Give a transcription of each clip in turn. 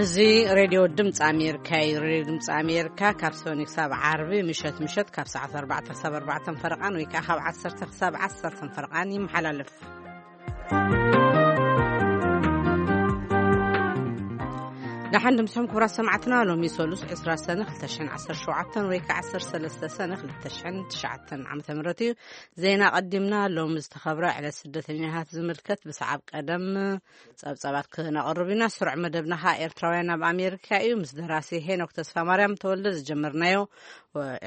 እዚ ሬድዮ ድምፂ ኣሜሪካ እዩ። ሬድዮ ድምፂ ኣሜሪካ ካብ ሰኒ ክሳብ ዓርቢ ምሸት ምሸት ካብ ሰዓት ኣርባዕተ ክሳብ ኣርባዕተ ፈረቓን ወይ ከዓ ካብ ዓሰርተ ክሳብ ዓሰርተ ፈረቓን ይመሓላለፍ። ደሓን ድምፅኹም ክቡራት ሰማዕትና፣ ሎሚ ሰሉስ ዕስራ ሰነ ክልተ ሽሕን ዓሰርተ ሸውዓተን ወይ ከዓ ዓሰርተ ሰለስተ ሰነ ክልተ ሽሕን ትሽዓተን ዓመተ ምህረት እዩ። ዜና ቀዲምና። ሎሚ ዝተኸብረ ዕለት ስደተኛታት ዝምልከት ብሰዓብ ቀደም ጸብጻባት ክነቕርብ ኢና። ስሩዕ መደብና ኸኣ ኤርትራውያን ኣብ ኣሜሪካ እዩ። ምስ ደራሲ ሄኖክ ተስፋ ማርያም ተወልደ ዝጀመርናዮ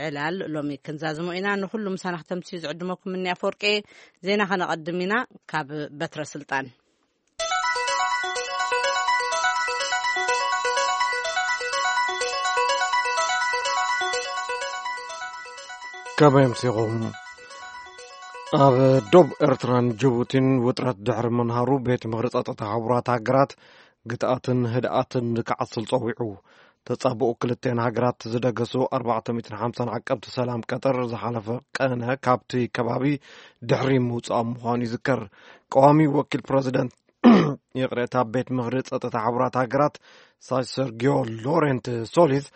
ዕላል ሎሚ ክንዛዝሞ ኢና። ንኹሉ ምሳና ክተምስዩ ዝዕድመኩም እኒ ኣፈወርቂ። ዜና ከነቐድም ኢና ካብ በትረ ስልጣን። ከመይ ኣምሲኹም? ኣብ ዶብ ኤርትራን ጅቡቲን ውጥረት ድሕሪ ምንሃሩ፣ ቤት ምኽሪ ጸጥታ ሕቡራት ሃገራት ግትኣትን ህድኣትን ንክዓስል ጸዊዑ። ተጻብኦ ክልተን ሃገራት ዝደገሱ ኣርባዕተ ሚእትን ሓምሳን ዓቀብቲ ሰላም ቀጠር ዝሓለፈ ቀነ ካብቲ ከባቢ ድሕሪ ምውጻኦም ምዃኑ ይዝከር። ቀዋሚ ወኪል ፕረዚደንት፣ ይቕሬታ፣ ቤት ምኽሪ ጸጥታ ሕቡራት ሃገራት ሳ-፣ ሰርጊዮ ሎሬንት ሶሊዝ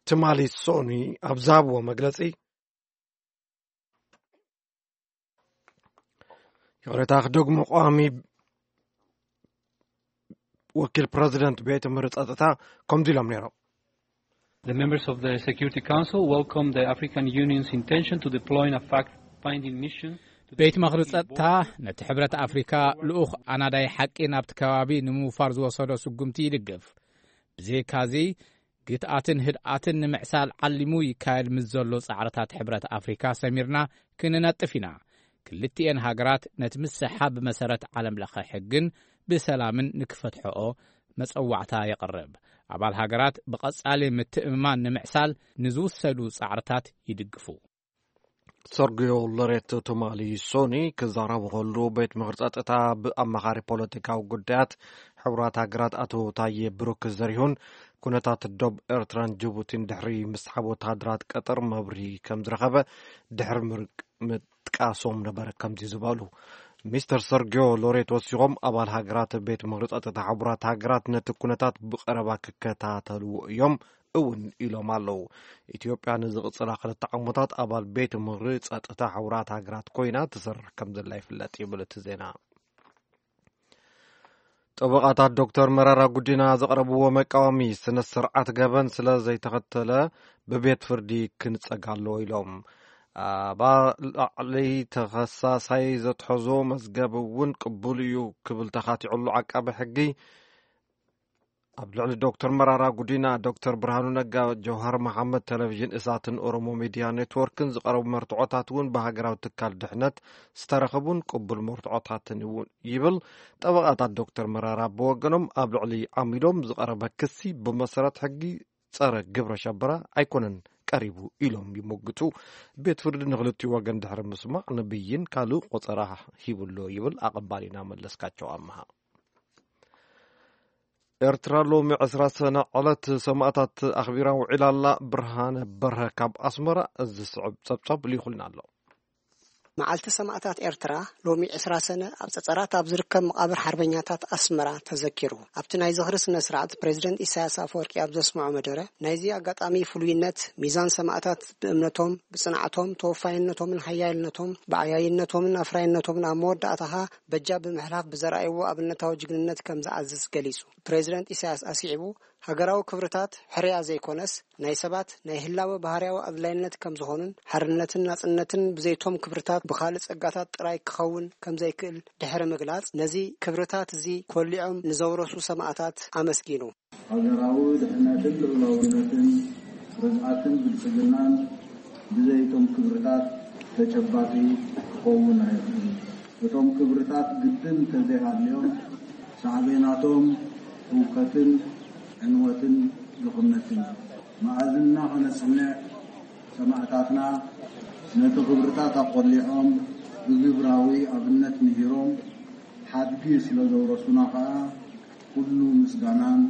ትማሊ ሶኒ ኣብ ዝሃብዎ መግለጺ፣ ይቕሬታ ክደግሞ፣ ቀዋሚ ወኪል ፕረዚደንት ቤት ምኽሪ ጸጥታ ከምዚ ኢሎም ነይሮም። The members of the Security Council welcome the African Union's intention to deploy a fact-finding mission to the ቤት ምኽሪ ጸጥታ ነቲ ሕብረት ኣፍሪካ ልኡኽ ኣናዳይ ሓቂ ናብቲ ከባቢ ንምውፋር ዝወሰዶ ስጉምቲ ይድግፍ። ብዘይካዚ፣ ግትኣትን ህድኣትን ንምዕሳል ዓሊሙ ይካየድ ምስ ዘሎ ጻዕርታት ሕብረት ኣፍሪካ ሰሚርና ክንነጥፍ ኢና። ክልቲኤን ሃገራት ነቲ ምስሓብ ብመሰረት ዓለም ለኸ ሕግን ብሰላምን ንክፈትሐኦ መጸዋዕታ የቕርብ። ኣባል ሃገራት ብቐጻሊ ምትእምማን ንምዕሳል ንዝውሰዱ ጻዕርታት ይድግፉ። ሰርጊዮ ሎሬት ትማሊ ሶኒ ክዛረቡ ከሉ፣ ቤት ምኽሪ ጸጥታ ብኣማኻሪ ፖለቲካዊ ጉዳያት ሕቡራት ሃገራት ኣቶ ታዬ ብሩክ ዘሪሁን፣ ኩነታት ዶብ ኤርትራን ጅቡቲን ድሕሪ ምስሓብ ወተሃደራት ቀጠር መብርሂ ከም ዝረኸበ ድሕሪ ምርቅ-፣ ምጥቃሶም ነበረ ከምዚ ዝበሉ። ሚስተር ሰርጊዮ ሎሬት ወሲኾም፣ ኣባል ሃገራት ቤት ምኽሪ ጸጥታ ሕቡራት ሃገራት ነቲ ኩነታት ብቐረባ ክከታተልዎ እዮም እውን ኢሎም ኣለዉ። ኢትዮጵያ ንዝቕጽላ ክልተ ዓመታት ኣባል ቤት ምኽሪ ጸጥታ ሕቡራት ሃገራት ኮይና ትሰርሕ ከም ዘላ ይፍለጥ ይብል እቲ ዜና። ጠበቓታት ዶክተር መራራ ጉዲና ዘቕረብዎ መቃወሚ፣ ስነ ስርዓት ገበን ስለ ዘይተኸተለ ብቤት ፍርዲ ክንጸግ ኣለዎ ኢሎም። ኣብ ላዕሊ ተኸሳሳይ ዘትሐዞ መዝገብ እውን ቅቡል እዩ ክብል ተኻቲዑሉ ዓቃቢ ሕጊ፣ ኣብ ልዕሊ ዶክተር መራራ ጉዲና፣ ዶክተር ብርሃኑ ነጋ፣ ጀውሃር መሓመድ፣ ቴሌቪዥን እሳትን ኦሮሞ ሚድያ ኔትወርክን ዝቐረቡ መርትዖታት እውን ብሃገራዊ ትካል ድሕነት ዝተረኸቡን ቅቡል መርትዖታትን እውን ይብል። ጠበቓታት ዶክተር መራራ ብወገኖም፣ ኣብ ልዕሊ ዓሚዶም ዝቐረበ ክሲ ብመሰረት ሕጊ ጸረ ግብረ ሸበራ ኣይኮነን ቀሪቡ ኢሎም ይሞግቱ። ቤት ፍርዲ ንክልቲኡ ወገን ድሕሪ ምስማዕ ንብይን ካልእ ቆጸራ ሂቡሎ ይብል ኣቐባሊና መለስካቸው ኣምሃ። ኤርትራ ሎሚ ዕስራ ሰነ ዕለት ሰማእታት ኣኽቢራ ውዒላ ኣላ። ብርሃነ በርሀ ካብ ኣስመራ እዚ ዝስዕብ ጸብጻብ ልኢኹልና ኣሎ። መዓልቲ ሰማእታት ኤርትራ ሎሚ ዕስራ ሰነ ኣብ ጸጸራት ኣብ ዝርከብ መቓብር ሓርበኛታት ኣስመራ ተዘኪሩ። ኣብቲ ናይ ዝኽሪ ስነ ስርዓት ፕሬዚደንት ኢሳያስ ኣፈወርቂ ኣብ ዘስምዖ መደረ፣ ናይዚ ኣጋጣሚ ፍሉይነት፣ ሚዛን ሰማእታት ብእምነቶም፣ ብጽንዓቶም፣ ተወፋይነቶምን ሓያልነቶም፣ ብዓያይነቶምን ኣፍራይነቶምን ኣብ መወዳእታኻ በጃ ብምሕላፍ ብዘርኣይዎ ኣብነታዊ ጅግንነት ከም ዝኣዝዝ ገሊጹ። ፕሬዚደንት ኢሳያስ ኣስዒቡ፣ ሃገራዊ ክብርታት ሕርያ ዘይኮነስ፣ ናይ ሰባት ናይ ህላወ ባህርያዊ ኣድላይነት ከም ዝኾኑን፣ ሓርነትን ናጽነትን ብዘይቶም ክብርታት ብኻልእ ጸጋታት ጥራይ ክኸውን ከም ዘይክእል ድሕሪ ምግላጽ፣ ነዚ ክብርታት እዚ ኮሊዖም ንዘውረሱ ሰማእታት ኣመስጊኑ። ሃገራዊ ድሕነትን ልኡላውነትን፣ ርግኣትን ብልጽግናን ብዘይቶም ክብርታት ተጨባጢ ክኸውን ኣይኽእልን። እቶም ክብርታት ግድን እንተዘይሃልዮም፣ ሳዕቤናቶም ህውከትን ዕንወትን ድኽነትን እዩ። መኣዝንና ከነጽንዕ፣ ሰማእታትና ነቲ ክብርታት ኣቖሊዖም፣ ብግብራዊ ኣብነት ምሂሮም፣ ሓድጊ ስለ ዘውረሱና ከኣ፣ ኩሉ ምስጋናን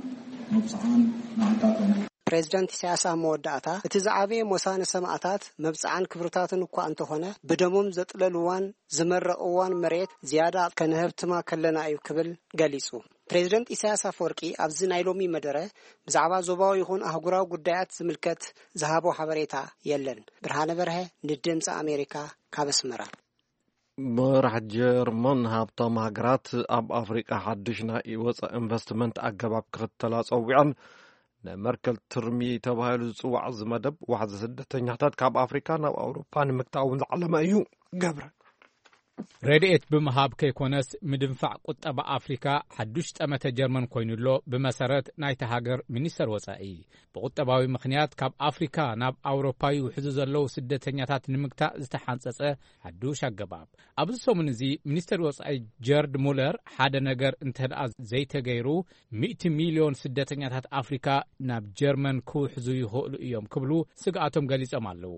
መብጽዓን ንዓንታቶም። ፕሬዚዳንት ኢሳያስ ኣብ መወዳእታ፣ እቲ ዝዓበየ ሞሳ ንሰማእታት መብጽዓን ክብርታትን እኳ እንተኾነ፣ ብደሞም ዘጥለልዋን ዝመረቕዋን መሬት ዝያዳ ከነህብትማ ከለና እዩ ክብል ገሊጹ። ፕሬዝደንት ኢሳያስ ኣፈወርቂ ኣብዚ ናይ ሎሚ መደረ ብዛዕባ ዞባዊ ይኹን ኣህጉራዊ ጉዳያት ዝምልከት ዝሃቦ ሓበሬታ የለን። ብርሃነ በርሀ ንድምፂ ኣሜሪካ ካብ ኣስመራ። መራሕ ጀርመን ሃብታም ሃገራት ኣብ ኣፍሪቃ ሓድሽ ናይ ወፃኢ ኢንቨስትመንት ኣገባብ ክኽተላ ጸዊዐን። ናይ መርከል ትርሚ ተባሂሉ ዝጽዋዕ እዚ መደብ ዋሕዚ ስደተኛታት ካብ ኣፍሪካ ናብ ኣውሮፓ ንምግታእ እውን ዝዓለመ እዩ። ገብረ። ረድኤት ብምሃብ ከይኮነስ፣ ምድንፋዕ ቁጠባ ኣፍሪካ ሓዱሽ ጠመተ ጀርመን ኮይኑ ኣሎ። ብመሰረት ናይቲ ሃገር ሚኒስተር ወጻኢ፣ ብቁጠባዊ ምኽንያት ካብ ኣፍሪካ ናብ ኣውሮፓ ይውሕዙ ዘለዉ ስደተኛታት ንምግታእ ዝተሓንጸጸ ሓዱሽ ኣገባብ። ኣብዚ ሰሙን እዚ ሚኒስተር ወጻኢ ጀርድ ሙለር፣ ሓደ ነገር እንተ ደኣ ዘይተገይሩ፣ ሚእቲ ሚልዮን ስደተኛታት ኣፍሪካ ናብ ጀርመን ክውሕዙ ይኽእሉ እዮም ክብሉ ስግኣቶም ገሊጾም ኣለዉ።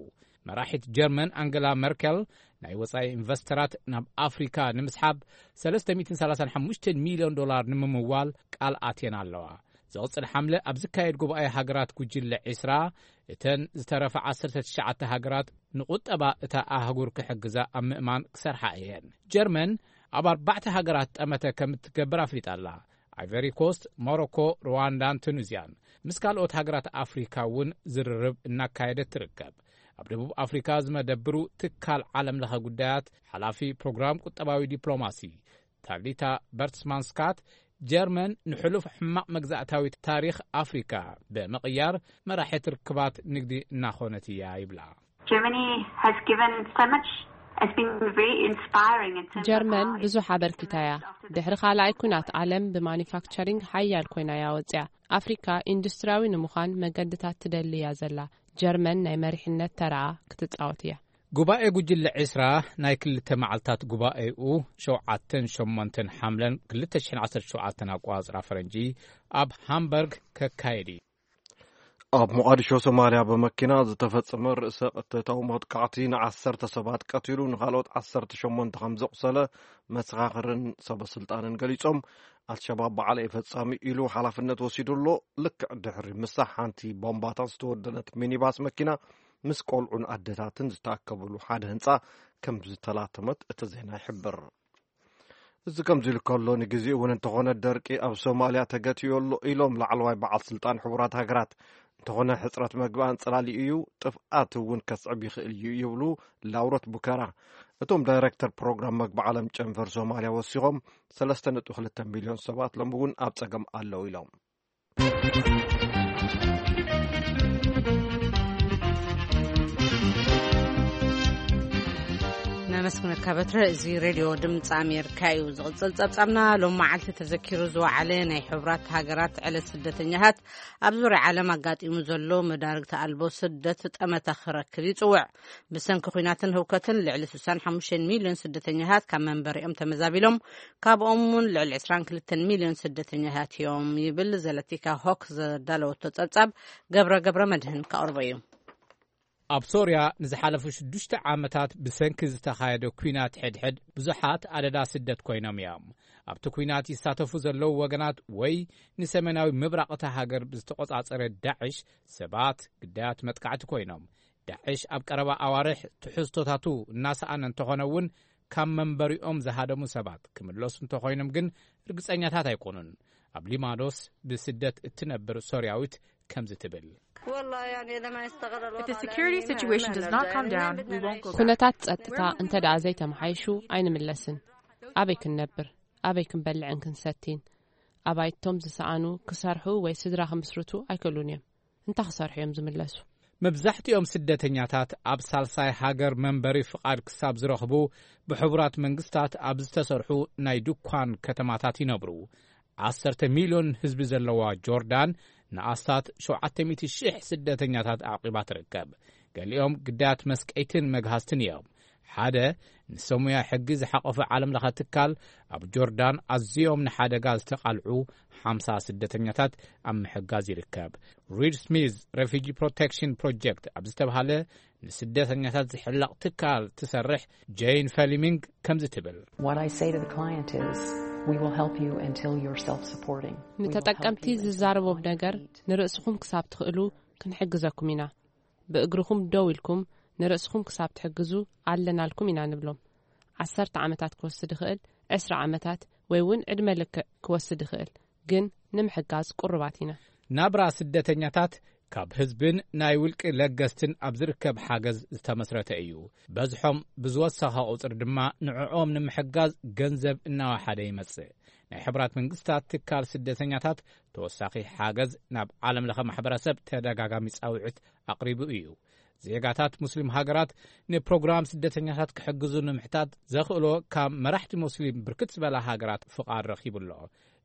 መራሒት ጀርመን ኣንገላ መርከል፣ ናይ ወጻኢ ኢንቨስተራት ናብ ኣፍሪካ ንምስሓብ ሰለስተ ሚእትን ሰላሳን ሓሙሽተን ሚልዮን ዶላር ንምምዋል ቃል ኣትየን ኣለዋ። ዝቕጽል ሓምለ ኣብ ዝካየድ ጉባኤ ሃገራት ጉጅለ ዒስራ፣ እተን ዝተረፋ ዓሰርተ ትሽዓተ ሃገራት ንቁጠባ እታ ኣህጉር ክሕግዛ ኣብ ምእማን ክሰርሓ እየን። ጀርመን ኣብ ኣርባዕተ ሃገራት ጠመተ ከም እትገብር ኣፍሊጣ ኣላ። ኣይቨሪ ኮስት፣ ሞሮኮ፣ ሩዋንዳን ቱኒዝያን። ምስ ካልኦት ሃገራት ኣፍሪካ እውን ዝርርብ እናካየደት ትርከብ። ኣብ ደቡብ ኣፍሪካ ዝመደብሩ ትካል ዓለም ለኸ ጉዳያት ሓላፊ ፕሮግራም ቁጠባዊ ዲፕሎማሲ ታሊታ በርትስማን ስካት፣ ጀርመን ንሕሉፍ ሕማቕ መግዛእታዊ ታሪኽ ኣፍሪካ ብምቕያር መራሒት ርክባት ንግዲ እናኾነት እያ ይብላ። Germany has given so much. It's been very inspiring in terms of ጀርመን ብዙሕ ኣበርኪታ እያ። ድሕሪ ካልኣይ ኩናት ዓለም ብማኒፋክቸሪንግ ሓያል ኮይና እያ ወፅያ። ኣፍሪካ ኢንዱስትሪያዊ ንምዃን መገድታት ትደሊ እያ ዘላ። ጀርመን ናይ መሪሕነት ተራኣ ክትፃወት እያ። ጉባኤ ጉጅለ ዒስራ ናይ ክልተ መዓልታት ጉባኤኡ ሸውዓተን ሸሞንተን ሓምለን ክልተ ሽሕን ዓሰርተ ሸውዓተን ኣቆጻጽራ ፈረንጂ ኣብ ሃምበርግ ከካየድ እዩ። ኣብ ሞቓዲሾ ሶማልያ ብመኪና ዝተፈጸመ ርእሰ ቅትለታዊ መጥቃዕቲ ንዓሰርተ ሰባት ቀቲሉ፣ ንኻልኦት ዓሰርተ ሸሞንተ ከም ዘቑሰለ መሰኻኽርን ሰበ ስልጣንን ገሊጾም። ኣልሸባብ ባዕለይ ፈጻሚ ኢሉ ሓላፍነት ወሲዱ ኣሎ። ልክዕ ድሕሪ ምሳሕ ሓንቲ ቦምባታት ዝተወደነት ሚኒባስ መኪና ምስ ቆልዑን ኣደታትን ዝተኣከብሉ ሓደ ህንጻ ከም ዝተላተመት እቲ ዜና ይሕብር። እዚ ከምዚ ኢሉ ከሎ፣ ንግዜኡ እውን እንተኾነ ደርቂ ኣብ ሶማልያ ተገትዮ ኣሎ ኢሎም ላዕለዋይ በዓል ስልጣን ሕቡራት ሃገራት። እንተኾነ ሕጽረት መግቢ ኣንጸላሊኡ እዩ፣ ጥፍኣት እውን ከስዕብ ይኽእል እዩ ይብሉ ላውሮት ቡከራ። እቶም ዳይሬክተር ፕሮግራም መግቢ ዓለም ጨንፈር ሶማልያ ወሲኾም፣ ሰለስተ ነጥቢ ክልተ ሚልዮን ሰባት ሎም እውን ኣብ ጸገም ኣለዉ ኢሎም። ነመስግነካ በትረ። እዚ ሬድዮ ድምፂ ኣሜሪካ እዩ። ዝቕፅል ጸብጻብና፣ ሎም መዓልቲ ተዘኪሩ ዝወዓለ ናይ ሕቡራት ሃገራት ዕለት ስደተኛታት ኣብ ዙርያ ዓለም ኣጋጢሙ ዘሎ መዳርግቲ ኣልቦ ስደት ጠመተ ክረክብ ይጽውዕ። ብሰንኪ ኲናትን ህውከትን ልዕሊ ስሳን ሓሙሽተን ሚልዮን ስደተኛታት ካብ መንበሪኦም ተመዛቢሎም፣ ካብኦም እውን ልዕሊ ዕስራን ክልተን ሚልዮን ስደተኛታት እዮም ይብል ዘለቲካ ሆክ ዘዳለወቶ ጸብጻብ። ገብረ ገብረ መድህን ከቕርቦ እዩ። ኣብ ሶርያ ንዝሓለፉ ሽዱሽተ ዓመታት ብሰንኪ ዝተኻየደ ኲናት ሕድሕድ ብዙሓት ኣደዳ ስደት ኮይኖም እዮም። ኣብቲ ኲናት ይሳተፉ ዘለዉ ወገናት ወይ ንሰሜናዊ ምብራቕ እታ ሃገር ብዝተቖጻጸረ ዳዕሽ ሰባት ግዳያት መጥቃዕቲ ኮይኖም። ዳዕሽ ኣብ ቀረባ ኣዋርሕ ትሕዝቶታቱ እናሰኣነ እንተኾነ እውን፣ ካብ መንበሪኦም ዝሃደሙ ሰባት ክምለሱ እንተኾይኖም ግን ርግጸኛታት ኣይኮኑን። ኣብ ሊማኖስ ብስደት እትነብር ሶርያዊት ከምዚ ትብል። If the security situation does not calm down, we won't go back. ኩነታት ጸጥታ እንተ ደኣ ዘይተመሓይሹ ኣይንምለስን። ኣበይ ክንነብር? ኣበይ ክንበልዕን ክንሰቲን? ኣባይቶም ዝሰኣኑ ክሰርሑ ወይ ስድራ ክምስርቱ ኣይክእሉን እዮም። እንታይ ክሰርሑ እዮም ዝምለሱ? መብዛሕትኦም ስደተኛታት ኣብ ሳልሳይ ሃገር መንበሪ ፍቓድ ክሳብ ዝረኽቡ፣ ብሕቡራት መንግስታት ኣብ ዝተሰርሑ ናይ ድኳን ከተማታት ይነብሩ። ዓሰርተ ሚልዮን ህዝቢ ዘለዋ ጆርዳን ንኣስታት ሸውዓተ ሚእቲ ሽሕ ስደተኛታት ኣዕቂባ ትርከብ። ገሊኦም ግዳያት መስቀይትን መግሃስትን እዮም። ሓደ ንሰሙያ ሕጊ ዝሓቆፈ ዓለም ለኸ ትካል፣ ኣብ ጆርዳን ኣዝዮም ንሓደጋ ዝተቓልዑ ሓምሳ ስደተኛታት ኣብ ምሕጋዝ ይርከብ። ሪድ ስሚዝ ሬፊጂ ፕሮቴክሽን ፕሮጀክት ኣብ ዝተባህለ ንስደተኛታት ዝሕለቕ ትካል ትሰርሕ ጄን ፈሊሚንግ ከምዚ ትብል። What I say to the client is, we will help you until you're self-supporting. We will help ንተጠቀምቲ you until ዝዛረቦም you ነገር፣ eat. ንርእስኹም ክሳብ ትኽእሉ ክንሕግዘኩም ኢና። ብእግርኹም ደው ኢልኩም ንርእስኹም ክሳብ ትሕግዙ ኣለናልኩም ኢና ንብሎም። ዓሰርተ ዓመታት ክወስድ ይኽእል፣ ዕስራ ዓመታት ወይ እውን ዕድመ ልክዕ ክወስድ ይኽእል፣ ግን ንምሕጋዝ ቁሩባት ኢና። ናብራ ስደተኛታት ካብ ህዝብን ናይ ውልቂ ለገስትን ኣብ ዝርከብ ሓገዝ ዝተመስረተ እዩ። በዝሖም ብዝወሰኸ ቁፅሪ ድማ ንዕኦም ንምሕጋዝ ገንዘብ እናወሓደ ይመጽእ። ናይ ሕቡራት መንግስታት ትካል ስደተኛታት ተወሳኺ ሓገዝ ናብ ዓለም ለኸ ማሕበረሰብ ተደጋጋሚ ጻውዒት ኣቕሪቡ እዩ። ዜጋታት ሙስሊም ሃገራት ንፕሮግራም ስደተኛታት ክሕግዙ ንምሕታት ዘኽእሎ ካብ መራሕቲ ሙስሊም ብርክት ዝበላ ሃገራት ፍቓድ ረኺቡ ኣሎ።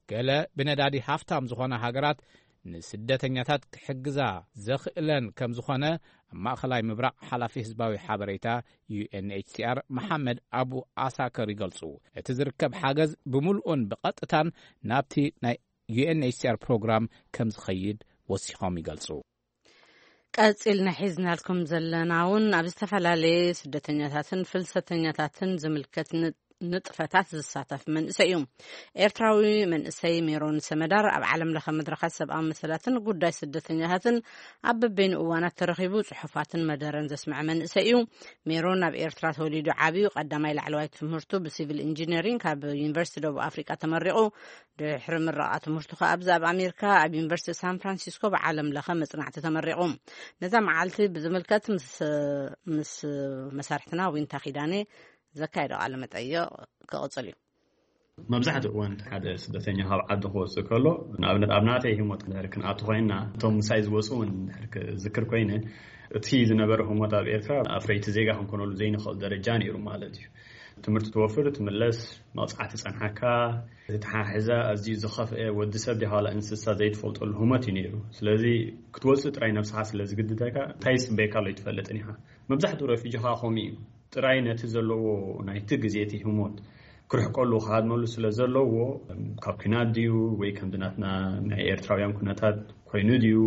ገለ ብነዳዲ ሃፍታም ዝኾና ሃገራት ንስደተኛታት ክሕግዛ ዘኽእለን ከም ዝኾነ ኣብ ማእኸላይ ምብራቕ ሓላፊ ህዝባዊ ሓበሬታ ዩ ኤን ኤች ሲ ኣር መሓመድ ኣቡ ኣሳከር ይገልጹ። እቲ ዝርከብ ሓገዝ ብምሉኡን ብቐጥታን ናብቲ ናይ ዩ ኤን ኤች ሲ ኣር ፕሮግራም ከም ዝኸይድ ወሲኾም ይገልጹ። ቀጺልና ሒዝናልኩም ዘለና እውን ኣብ ዝተፈላለየ ስደተኛታትን ፍልሰተኛታትን ዝምልከት ን- ንጥፈታት ዝሳተፍ መንእሰይ እዩ። ኤርትራዊ መንእሰይ ሜሮን ሰመዳር ኣብ ዓለም ለኸ መድረኻት ሰብኣዊ መሰላትን ጉዳይ ስደተኛታትን ኣብ በበይኑ እዋናት ተረኺቡ ጽሑፋትን መደረን ዘስምዐ መንእሰይ እዩ። ሜሮን ኣብ ኤርትራ ተወሊዱ ዓብዩ። ቀዳማይ ላዕለዋይ ትምህርቱ ብሲቪል ኢንጂነሪንግ ካብ ዩኒቨርሲቲ ደቡብ ኣፍሪቃ ተመሪቑ። ድሕሪ ምረቓ ትምህርቱ ከኣ ኣብዚ ኣብ ኣሜሪካ ኣብ ዩኒቨርሲቲ ሳን ፍራንሲስኮ ብዓለም ለኸ መጽናዕቲ ተመሪቑ። ነዛ መዓልቲ ብዝምልከት ምስ ምስ መሳርሕትና ዊንታ ኪዳኔ ዘካየዶ ቃለ መጠይቕ ክቕጽል እዩ። መብዛሕትኡ እዋን ሓደ ስደተኛ ካብ ዓዲ ክወፅእ ከሎ፣ ንኣብነት ኣብ ናተይ ህሞት እንድሕር ክንኣቱ ኮይንና፣ እቶም ምሳይ ዝወፁ እውን እንድሕር ክዝክር ኮይነ፣ እቲ ዝነበረ ህሞት ኣብ ኤርትራ ኣፍረይቲ ዜጋ ክንኮነሉ ዘይንኽእል ደረጃ ነይሩ ማለት እዩ። ትምህርቲ ትወፍር፣ ትምለስ፣ መቕፃዕቲ ጸንሓካ፣ ዝተሓሕዘ ኣዝዩ ዝኸፍአ፣ ወዲ ሰብ ዲኻ ዋላ እንስሳ ዘይትፈልጠሉ ህሞት እዩ ነይሩ። ስለዚ ክትወፅእ ጥራይ ነብስኻ ስለ ዝግድደካ እንታይ ይፅበየካ ኣሎ ኣይትፈልጥን ኢኻ። መብዛሕትኡ ረፊጂ ኸዓ ከምኡ እዩ። ጥራይ ነቲ ዘለዎ ናይቲ ግዜ እቲ ህሞት ክርሕቀሉ ክሃድመሉ ስለ ዘለዎ፣ ካብ ኲናት ድዩ ወይ ከምዚ ናትና ናይ ኤርትራውያን ኩነታት ኮይኑ ድዩ፣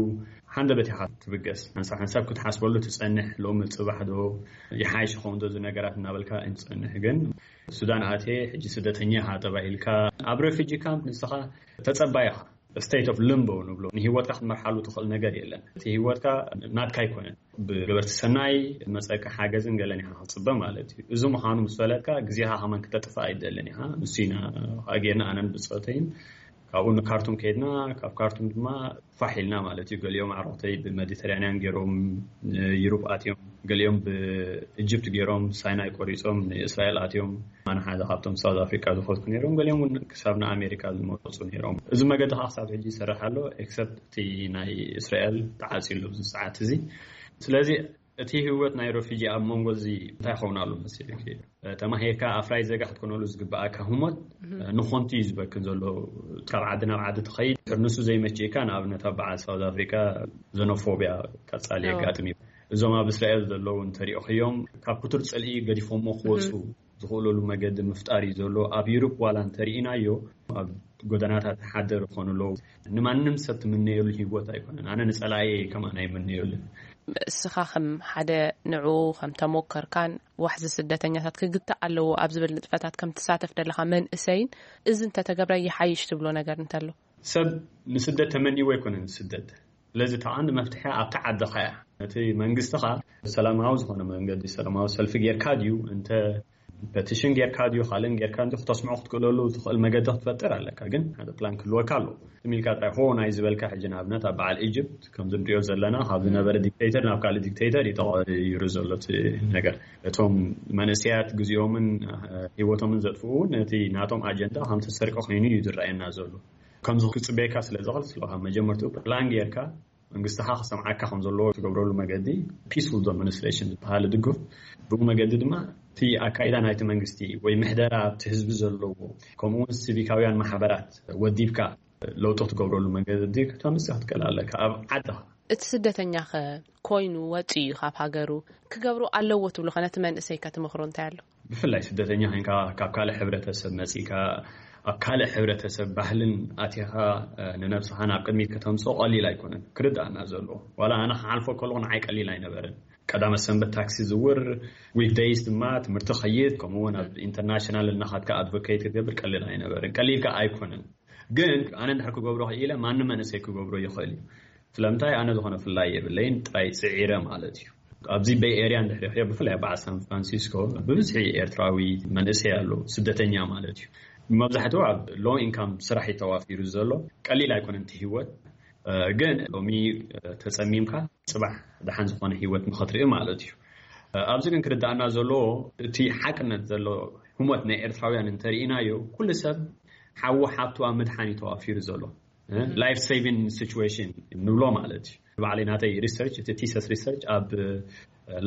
ሓንደበት ኢኻ ትብገስ። ሓንሳብ ሓንሳብ ክትሓስበሉ ትጸንሕ። ሎሚ ጽባሕ ዶ ይሓይሽ ይኸውን ዶ እዚ ነገራት እናበልካ ትጸንሕ። ግን ሱዳን ኣትየ ሕጂ ስደተኛ ኢኻ ተባሂልካ ኣብ ሬፊጂ ካምፕ ንስኻ ተጸባይ ኢኻ። ስቴት ኦፍ ሊምቦ ንብሎ፣ ንህይወትካ ክትመርሓሉ ትኽእል ነገር የለን። እቲ ህይወትካ ናትካ ኣይኮነን። ብገበርቲ ሰናይ መጸካ ሓገዝን ገለን ኢኻ ክትጽበ ማለት እዩ። እዚ ምዃኑ ምስ ፈለጥካ ግዜኻ ከማን ክተጥፍእ ኣይደልን ኢኻ። ንሱ ኢና ጌርና ኣነን ብጾተይን። ካብኡ ንካርቱም ከይድና፣ ካብ ካርቱም ድማ ፋሕ ኢልና ማለት እዩ። ገሊኦም ኣዕሩኽተይ ብመዲተራንያን ገይሮም ንዩሮፕ ኣትዮም፣ ገሊኦም ብኢጅፕት ገይሮም ሳይናይ ቆሪጾም ንእስራኤል ኣትዮም። ኣነ ሓደ ካብቶም ሳውዝ ኣፍሪካ ዝኸድኩ ነይሮም፣ ገሊኦም እውን ክሳብ ንኣሜሪካ ዝመረጹ ነይሮም። እዚ መገዲ ከዓ ክሳብ ሕጂ ይሰርሕ ኣሎ። ኤክሰፕት እቲ ናይ እስራኤል ተዓፅዩ ኣሎ ኣብዚ ሰዓት እዚ። ስለዚ እቲ ህይወት ናይ ረፊጂ ኣብ መንጎ እዚ እንታይ ይኸውን ኣሎ መሲልክ? ተማሂርካ ኣፍራይ ዜጋ ክትኮነሉ ዝግብኣካ ህሞት ንኾንቲ እዩ ዝበክን ዘሎ። ካብ ዓዲ ናብ ዓዲ ትኸይድ፣ ድሕር ንሱ ዘይመችእካ፣ ንኣብነት ኣብ በዓል ሳውዝ ኣፍሪካ ዘኖፎብያ ቀፃሊ የጋጥም እዩ። እዞም ኣብ እስራኤል ዘለዉ እንተሪኦኽዮም ካብ ክቱር ፅልኢ ገዲፎሞ ክወፁ ዝኽእለሉ መገዲ ምፍጣር እዩ ዘሎ። ኣብ ዩሮፕ ዋላ እንተርኢናዮ ኣብ ጎደናታት ሓደር ይኾኑ ኣለዉ። ንማንም ሰብ ትምነየሉ ህይወት ኣይኮነን። ኣነ ንጸላእየ ከማን ኣይምነየሉን። እስኻ ከም ሓደ ንዑ ከም ተሞከርካን ዋሕዚ ስደተኛታት ክግታእ ኣለዎ ኣብ ዝብል ንጥፈታት ከም ትሳተፍ ደለኻ መንእሰይን፣ እዚ እንተተገብረ ይሓይሽ ትብሎ ነገር እንተሎ? ሰብ ንስደት ተመንይዎ ኣይኮነን ዝስደት። ስለዚ እታ ቀንዲ መፍትሒ ኣብታ ዓድኻ እያ። ነቲ መንግስትኻ ሰላማዊ ዝኾነ መንገዲ ሰላማዊ ሰልፊ ጌርካ ድዩ እንተ ፐቲሽን ጌርካ ድዩ ካልእን ጌርካ እንዲ ክተስምዖ ክትክእለሉ ትኽእል መገዲ ክትፈጥር ኣለካ። ግን ሓደ ፕላን ክህልወካ ኣለዎ። ትም ኢልካ ጥራይ ሆ ናይ ዝበልካ ሕጂ ንኣብነት ኣብ በዓል ኢጅፕት ከም ዝንሪኦ ዘለና ካብ ዝነበረ ዲክቴተር ናብ ካልእ ዲክቴተር እዩ ተቐይሩ ዘሎ እቲ ነገር። እቶም መንእሰያት ግዜኦምን ህይወቶምን ዘጥፍኡ እውን ነቲ ናቶም ኣጀንዳ ከም ተሰርቀ ኮይኑ እዩ ዝረኣየና ዘሎ። ከምዚ ክጽበየካ ስለ ዝኽእል ስለካ መጀመርትኡ ፕላን ጌርካ መንግስትኻ ክሰምዓካ ከም ዘለዎ ትገብረሉ መገዲ ፒስፉል ዶሚኒስትሬሽን ዝበሃል ድግፍ። ብኡ መገዲ ድማ እቲ ኣካይዳ ናይቲ መንግስቲ ወይ ምሕደራ ኣብቲ ህዝቢ ዘለዎ ከምኡ እውን ሲቪካውያን ማሕበራት ወዲብካ ለውጢ ክትገብረሉ መገዲ ከተምፅእ ክትክእል ኣለካ ኣብ ዓድኻ። እቲ ስደተኛ ኸ ኮይኑ ወፂኡ እዩ ካብ ሃገሩ ክገብሩ ኣለዎ ትብሉ ኸ ነቲ መንእሰይ ከትመኽሮ እንታይ ኣሎ? ብፍላይ ስደተኛ ኮይንካ ካብ ካልእ ሕብረተሰብ መጺካ ኣብ ካልእ ሕብረተሰብ ባህልን ኣቲኻ ንነብስኻ ናብ ቅድሚት ከተምጽኦ ቀሊል ኣይኮነን። ክርዳእና ዘለዎ ዋላ ኣነ ክሓልፎ ከለኹ ንዓይ ቀሊል ኣይነበረን። ቀዳመ ሰንበት ታክሲ ዝውር ዊክ ደይስ ድማ ትምህርቲ ኸይድ ከምኡ እውን ኣብ ኢንተርናሽናል እናኻድካ ኣድቮኬት ክትገብር ቀሊል ኣይነበረን። ቀሊል ከኣ ኣይኮነን። ግን ኣነ እንድሕር ክገብሮ ክኢለ ማንም መንእሰይ ክገብሮ ይኽእል እዩ። ስለምንታይ ኣነ ዝኾነ ፍላይ የብለይን ጥራይ ጽዒረ ማለት እዩ። ኣብዚ ቤይ ኤርያ እንድሕሪ ሪኦ፣ ብፍላይ ኣብ በዓል ሳን ፍራንሲስኮ ብብዝሒ ኤርትራዊ መንእሰይ ኣሎ፣ ስደተኛ ማለት እዩ። መብዛሕትኡ ኣብ ሎ ኢንካም ስራሕ እዩ ተዋፊሩ ዘሎ። ቀሊል ኣይኮነን እቲ ህይወት። እ፣ ግን ሎሚ፣ እ፣ ተጸሚምካ ጽባሕ ደሓን ዝኾነ ህይወት ንኸትርኢ ማለት እዩ። እ፣ ኣብዚ ግን ክርዳእና ዘለዎ እቲ ሓቅነት ዘሎ ህሞት ናይ ኤርትራውያን እንተርኢናዮ፣ ኩሉ ሰብ ሓዉ ሓብቱ ኣብ ምድሓን እዩ ተዋፊሩ ዘሎ። እ፣ ላይፍ ሴቪንግ ሲቹዌሽን ንብሎ ማለት እዩ። ባዕለይ ናተይ ሪሰርች፣ እቲ ቲሰስ ሪሰርች ኣብ፣ እ፣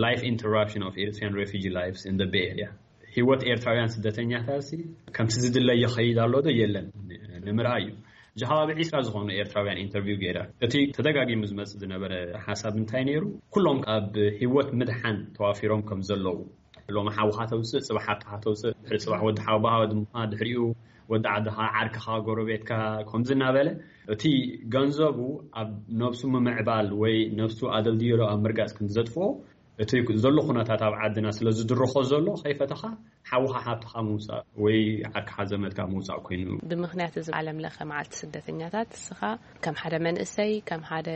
ላይፍ ኢንተራፕሽን ኦፍ ኤሪትሪያን ሬፊጂ ላይፍስ ኢን ቤይ ኤርያ፣ ህይወት ኤርትራውያን ስደተኛታት ሲ ከምቲ ዝድለ ይኸይድ ኣሎ ዶ የለን ንምርኣይ እዩ። እዚ ከባቢ ዒስራ ዝኾኑ ኤርትራውያን ኢንተርቪው ገይረ። እቲ ተደጋጊሙ ዝመጽእ ዝነበረ ሓሳብ እንታይ ነይሩ? ኩሎም ኣብ ህይወት ምድሓን ተዋፊሮም ከም ዘለዉ፣ ሎሚ ሓውኻ ተውፅእ፣ ጽባሕ ሓብትኻ ተውፅእ፣ ድሕሪ ጽባሕ ወዲ ሓውባኻ፣ ወዲ እምኻ፣ ድሕሪኡ ወዲ ዓድኻ፣ ዓርክኻ፣ ጎረቤትካ፣ ከምዚ እናበለ እቲ ገንዘቡ ኣብ ነብሱ ምምዕባል ወይ ነብሱ ኣደልድዮ ኣብ ምርጋጽ ከም ዘጥፍኦ፣ እቲ ዘሎ ኩነታት ኣብ ዓድና ስለ ዝድርኾ ዘሎ፣ ከይፈተኻ ሓውኻ ሓብትኻ ምውጻእ ወይ ዓርክኻ ዘመድካ ምውጻእ ኮይኑ። ብምኽንያት እዚ ዓለም ለኸ መዓልቲ ስደተኛታት፣ እስኻ ከም ሓደ መንእሰይ፣ ከም ሓደ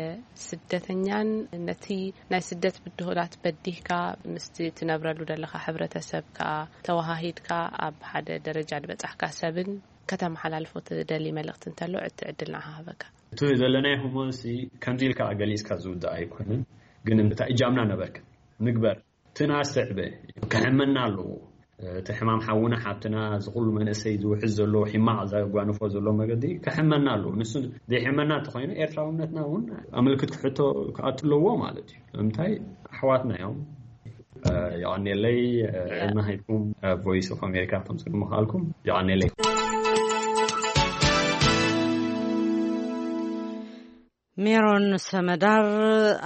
ስደተኛን ነቲ ናይ ስደት ብድሆታት በዲህካ ምስቲ ትነብረሉ ዘለኻ ሕብረተሰብ ከኣ ተወሃሂድካ ኣብ ሓደ ደረጃ ዝበጻሕካ ሰብን ከተመሓላልፎ ትደሊ መልእኽቲ እንተሎ፣ እቲ ዕድል ንዓኻ ሃበካ። እቲ ዘለናዮ ህሞትሲ ከምዚ ኢልካ ገሊጽካ ዝውዳእ ኣይኮነን፣ ግን እንታይ እጃምና ነበርካ ንግበር። እቲ ናስተዕበ ክሕመና ኣለዎ። እቲ ሕማም ሓውና ሓብትና፣ እዚ ኩሉ መንእሰይ ዝውሕዝ ዘሎ፣ ሒማቕ ዘጓንፎ ዘሎ መገዲ ክሕመና ኣለዎ። ንሱ ዘይሕመና እንተኾይኑ፣ ኤርትራውነትና እውን ኣመልክት ክሕቶ ክኣቱ ኣለዎ ማለት እዩ። ንምንታይ? ኣሕዋትና እዮም። እ፣ የቐንየለይ፣ እ፣ ዕድመ ሃብኩም፣ እ፣ ቮይስ ኦፍ ኣሜሪካ ክተምጽኡ ምኽኣልኩም። የቐንየለይ። ሜሮን ሰመዳር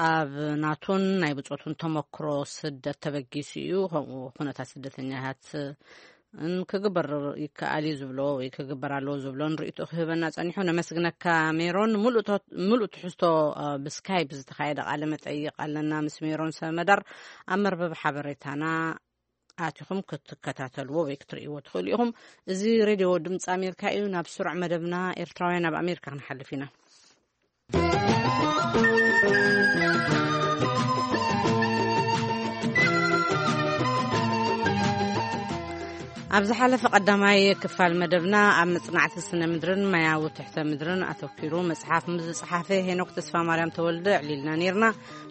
ኣብ ናቱን ናይ ብጾቱን ተመክሮ ስደት ተበጊሱ እዩ። ከምኡ ኩነታት ስደተኛታት ን ክግበር ይከኣል እዩ ዝብሎ ወይ ክግበር ኣለዎ ዝብሎን ርእይቶ ክህበና ጸኒሑ። ነመስግነካ ሜሮን። ምሉእ ቶ-፣ ምሉእ ትሕዝቶ፣ እ፣ ብስካይፕ ዝተኻየደ ቃለ መጠይቕ ኣለና ምስ ሜሮን ሰመዳር። ኣብ መርበብ ሓበሬታና ኣቲኹም ክትከታተልዎ ወይ ክትርእይዎ ትኽእሉ ኢኹም። እዚ ሬድዮ ድምፂ ኣሜሪካ እዩ። ናብ ስሩዕ መደብና ኤርትራውያን ኣብ ኣሜሪካ ክንሓልፍ ኢና። ኣብ ዝሓለፈ ቀዳማይ ክፋል መደብና ኣብ መጽናዕቲ ስነ ምድርን ማያዊ ትሕተ ምድርን ኣተኲሩ መጽሓፍ ምስ ዝጸሓፈ ሄኖክ ተስፋ ማርያም ተወልደ ኣዕሊልና ነይርና።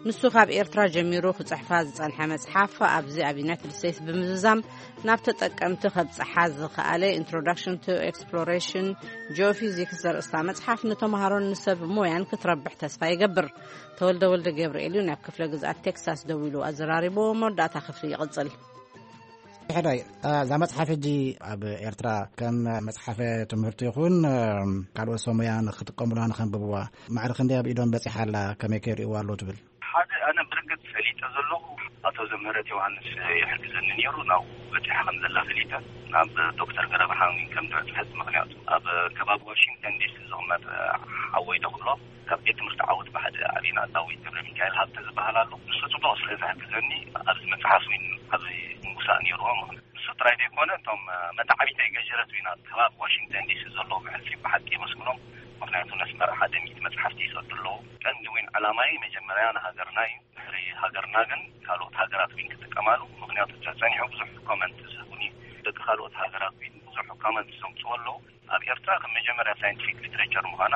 ንሱ ካብ ኤርትራ ጀሚሩ ክጽሕፋ ዝጸንሐ መጽሓፍ ኣብዚ ኣብ ዩናይትድ ስቴትስ ብምዝዛም ናብ ተጠቀምቲ ከብጽሓ ዝኸኣለ Introduction to Exploration Geophysics ዘርእስታ መጽሓፍ ንተምሃሮን ንሰብ ሞያን ክትረብሕ ተስፋ ይገብር። ተወልደ ወልደ ገብርኤል እዩ ናብ ክፍለ ግዝኣት ቴክሳስ ደዊሉ ኣዘራሪቡ። መወዳእታ ክፍሊ ይቕጽል። ሕዳይ፣ እዛ መጽሓፍ ሕጂ ኣብ ኤርትራ ከም መጽሓፈ ትምህርቲ ይኹን፣ ካልኦት ሰብ ሞያ ንክጥቀሙላ ንኸንብብዋ ማዕረ ክንደይ ኣብ ኢዶም በጺሓ ኣላ፣ ከመይ ከይርእይዋ ኣለዉ ትብል? ሓደ ኣነ ብርግጽ ፈሊጠ ዘለኹ ኣቶ ዘምህረት ዮሃንስ ይሕግዘኒ ነይሩ። ናብኡ በጺሓ ከም ዘላ ፈሊጠ፣ ናብ ዶክተር ገረብርሃን ከም ዝበጽሐት። ምኽንያቱ ኣብ ከባቢ ዋሽንግተን ዲሲ ዝቕመጥ ሓወይ ዶ ክብሎ፣ ካብ ቤት ትምህርቲ ዓወት ብሓደ ዓቢና፣ ዳዊት ገብረ ሚካኤል ሃብተ ዝበሃል ኣሎ። ንሱ ጽቡቕ ስለ ዝሕግዘኒ ኣብዚ መጽሓፍ እውን ዓቢ ምንጉሳእ ነይርዎ። ምኽንያቱ ንሱ ጥራይ ዘይኮነ፣ እቶም መተዓቢተይ ገጀረት ዊና ኣብ ከባቢ ዋሽንግተን ዲሲ ዘለዉ ብሕልፊ ብሓቂ የመስግኖም። ምኽንያቱ ነስመራ ሓደ ሚእቲ መጽሓፍቲ ይሰዱ ኣለዉ። ቀንዲ ዊን ዕላማይ መጀመርያ ንሃገርና እዩ። ድሕሪ ሃገርና ግን ካልኦት ሃገራት ዊን ክጥቀማሉ። ምኽንያቱ ጸ-፣ ጸኒሑ ብዙሕ ኮመንት ዝህቡኒ፣ ደቂ ካልኦት ሃገራት ዊን ብዙሕ ኮመንት ዘምጽኡ ኣለዉ። ኣብ ኤርትራ ከም መጀመርያ ሳይንቲፊክ ሊትሬቸር ምዃና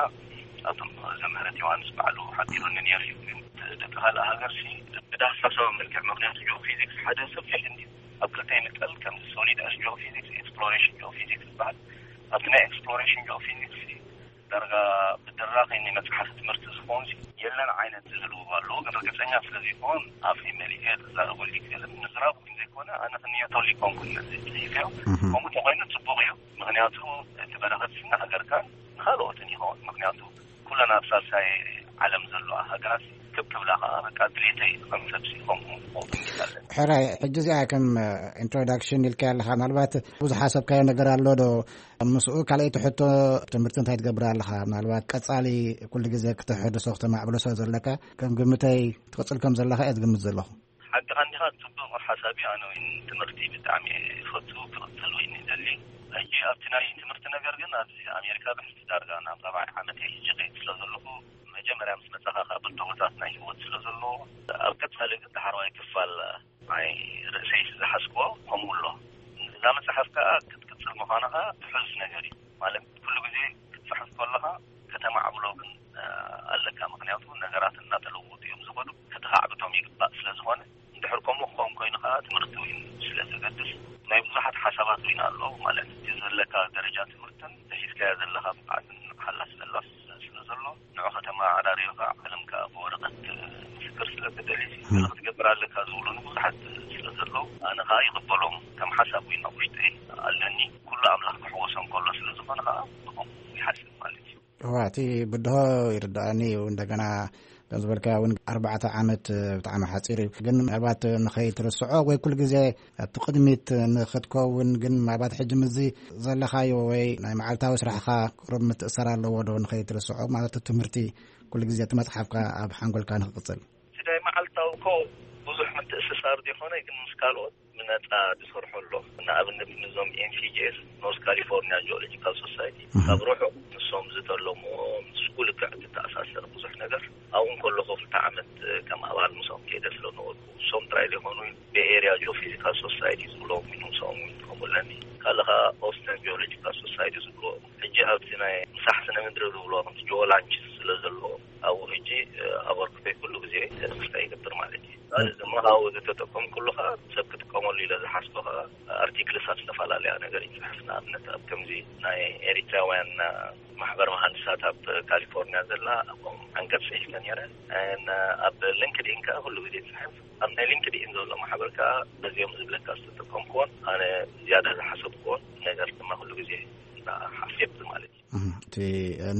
ኣቶም ዘምህረት ዮሃንስ ባዕሉ ሓቢሩኒ ነይሩ እዩ። ግን ደቂ ካልእ ሃገር ሲ ብዳህሳሳዊ መልክዕ፣ ምኽንያቱ ጂኦፊዚክስ ሓደ ሰፊሕ እንዲ ኣብ ክልተ ይምቀል፣ ከም ሶሊድ ኣስ ጂኦፊዚክስ፣ ኤክስፕሎሬሽን ጂኦፊዚክስ ዝበሃል። ኣብቲ ናይ ኤክስፕሎሬሽን ጂኦፊዚክስ ሲ ዳርጋ ብድራኸ ናይ መጽሓፍ ትምህርቲ ዝኸውን ሲ የለን ዓይነት ዝህልዎ ኣለዎ። ግን ርግጸኛ ስለ ዘይኮን ኣፈይ መሊኤ ተዛረበሉ ይክእል። ምዝራብ ግን ዘይኮነ ኣነ ክንየተሉ ይኮንኩን ነዚ ጽሒፈዮ። እህ። ከምኡ ተኮይኑ ጽቡቕ እዩ። ምኽንያቱ እቲ በረኸት ስና ሃገርካን ንኻልኦትን ይኸውን። ምኽንያቱ ኩለን ኣብ ሳልሳይ ዓለም ዘለዋ ሃገራት ክብ ክብላ ከኣ በቃ ድሌተይ ከም ሰብሲ ከምኡ ክኸውን ይኽእል። ሕራይ፣ ሕጂ እዚኣ ከም ኢንትሮዳክሽን ኢልካ ኣለኻ። ምናልባት ብዙሕ ሓሰብካዮ ነገር ኣሎ ዶ? ምስኡ ካልኣይቲ ሕቶ፣ ትምህርቲ እንታይ ትገብር ኣለኻ? ምናልባት ቀጻሊ ኩሉ ግዜ ክተሐድሶ ክተማዕብሎ ስለ ዘለካ፣ ከም ግምተይ ትቕጽል ከም ዘለኻ እየ ዝግምት ዘለኹ። ሓቅኻ እንዲኻ፣ ጽቡቕ ሓሳብ እዩ። ኣነ እውን ትምህርቲ ብጣዕሚ እየ እፈቱ፣ ክቕጽል እውን ይደሊ። ሕጂ ኣብቲ ናይ ትምህርቲ ነገር ግን ኣብዚ ኣሜሪካ ብሕጂ ዳርጋ ናብ ራብዓይ ዓመት እየ ሕጂ ከይድ ስለ ዘለኹ፣ መጀመርያ ምስ መጻኻ ካብ ብድሆታት ናይ ህይወት ስለ ዘለዎ፣ ኣብ ቀጻሊ ግን ዳሕረዋይ ክፋል ኣነ ኸዓ ትሕዝ ነገር እዩ። ማለት ኩሉ ግዜ ክትጽሕፍ ከለኻ ከተማዕብሎ ግን ኣለካ። ምክንያቱ ነገራት እናተለወጡ እዮም ዝኸዱ። ከተኻዕብቶም ይግባእ ስለ ዝኾነ፣ እንድሕር ከምኡ ክኸውን ኮይኑ ከዓ ትምህርቲ እውን ስለ ዘገድስ፣ ናይ ብዙሓት ሓሳባት እውን ኣሎ። ማለት እቲ ዘለካ ደረጃ ትምህርትን ዝሒዝካዮ ዘለካ ብቕዓትን ሓላስ ዘላስ ስለ ዘሎ፣ ንዑ ከተማ ኣዳሪዮ ከዓ ዓለም ከዓ ብወረቐት ምስክር ስለ ተደልዩ ክትገብር ኣለካ ዝብሉኒ ብዙሓት ስለ ዘለዉ፣ ኣነ ከዓ ይቕበሎም። ከም ሓሳብ እውን ኣብ ውሽጠይ ኣለኒ። ኩሉ ኣምላኽ ክሕወሶም ከሎ ስለ ዝኾነ ከዓ ብኸምኡ ይሓስብ ማለት እዩ። እዋ፣ እቲ ብድሆ ይርዳእኒ እዩ። እንደገና ከም ዝበልካዮ እውን ኣርባዕተ ዓመት ብጣዕሚ ሓፂር እዩ። ግን ምናልባት ንኸይትርስዖ ወይ ኩሉ ግዜ ኣብቲ ቅድሚት ንኽትከውን፣ ግን ምናልባት ሕጂ ምስዚ ዘለኻዮ ወይ ናይ መዓልታዊ ስራሕኻ ቁሩብ ምትእሰር ኣለዎ ዶ ንኸይትርስዖ? ማለት ትምህርቲ ኩሉ ግዜ እቲ መፅሓፍካ ኣብ ሓንጎልካ ንኽቕፅል። እቲ ናይ መዓልታዊ እኮ ብዙሕ ምትእስሳር ዘይኮነ፣ ግን ምስ ካልኦት ብነፃ ዝሰርሖ ኣሎ። ንኣብነት ንዞም ኤንሲጂኤስ፣ ኖርዝ ካሊፎርኒያ ጂኦሎጂካል ሶሳይቲ፣ እህ። ካብ ርሑቕ ንሶም ዝተለምዎ ምስ ኩሉ ክዕ ዝተኣሳሰረ ብዙሕ ነገር ኣብኡ እንከለኹ ክልተ ዓመት ከም ኣባል ምስኦም ከይደ ስለ ነበርኩ፣ ንሶም ጥራይ ዘይኮኑ ቤይ ኤርያ ጂኦፊዚካል ሶሳይቲ ዝብሎም እውን ምስኦም እውን ከምኡ ኣለኒ። ካልእ ኸዓ ኦስተን ጂኦሎጂካል ሶሳይቲ ዝብልዎ፣ ሕጂ ኣብቲ ናይ ምሳሕ ስነ ምድሪ ዝብልዎ ከምቲ ጂኦላንች ስለ ዘለዎ ኣብኡ ሕጂ ኣበርክቶይ ኩሉ ግዜ ተስፋ ይገብር ማለት እዩ። ካልእ ድማ ካብኡ ዝተጠቀምኩሉ ኸዓ ሰብ ክጥቀመሉ ኢለ ዝሓስቦ ኸዓ ኣርቲክልስ ኣብ ዝተፈላለያ ነገር ይፅሕፍ። ንኣብነት ኣብ ከምዚ ናይ ኤሪትራውያን ማሕበር መሃንድሳት ኣብ ካሊፎርኒያ ዘላ ኣብኦም ዓንቀፅ ፅሒፈ ነይረ። And ኣብ ሊንክድኢን ከዓ ኩሉ ግዜ ይፅሕፍ። ኣብ ናይ ሊንክድኢን ዘሎ ማሕበር ከዓ በዚኦም ዝብለካ ዝተጠቀምኩዎን ኣነ ዝያዳ ዝሓሰብኩዎን ነገር ድማ ኩሉ ግዜ ሓፍየት ማለት እዩ። እህ፣ እቲ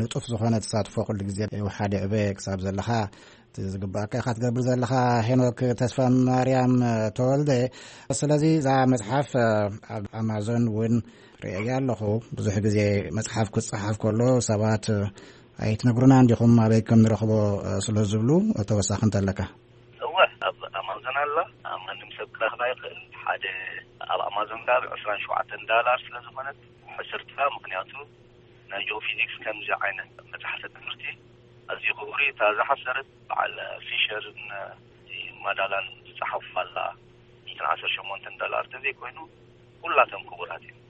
ንጡፍ ዝኾነ ተሳትፎ ኩሉ ግዜ ይውሓድ ይዕበ ክሳብ ዘለኻ እቲ ዝግባኣካ ኢኻ ትገብር ዘለኻ። ሄኖክ ተስፋ ማርያም ተወልደ፣ ስለዚ እዛ መጽሓፍ ኣብ ኣማዞን እውን ርእየያ ኣለኹ። ብዙሕ ግዜ መጽሓፍ ክጽሓፍ ከሎ ሰባት ኣይትነግሩና እንዲኹም ኣበይ ከም ንረኽቦ ስለ ዝብሉ፣ ተወሳኺ እንተለካ። እወ፣ ኣብ ኣማዞን ኣላ። ኣብ ማንም ሰብ ክረኽባ ይኽእል። ሓደ ኣብ ኣማዞን ካብ ዕስራን ሸውዓተን ዳላር ስለ ዝኾነት ሕስርትኻ፣ ምኽንያቱ ናይ ጂኦፊዚክስ ከምዚ ዓይነት መጽሓፍቲ ትምህርቲ ኣዝዩ ክቡር እዩ። እታ ዝሓሰረት በዓል ፊሸርን ማዳላን ዝጸሓፉ ኣላ። ሚእትን ዓሰርተ ሸሞንተን ዶላር ተዘይኮይኑ ኩላቶም ክቡራት እዮም።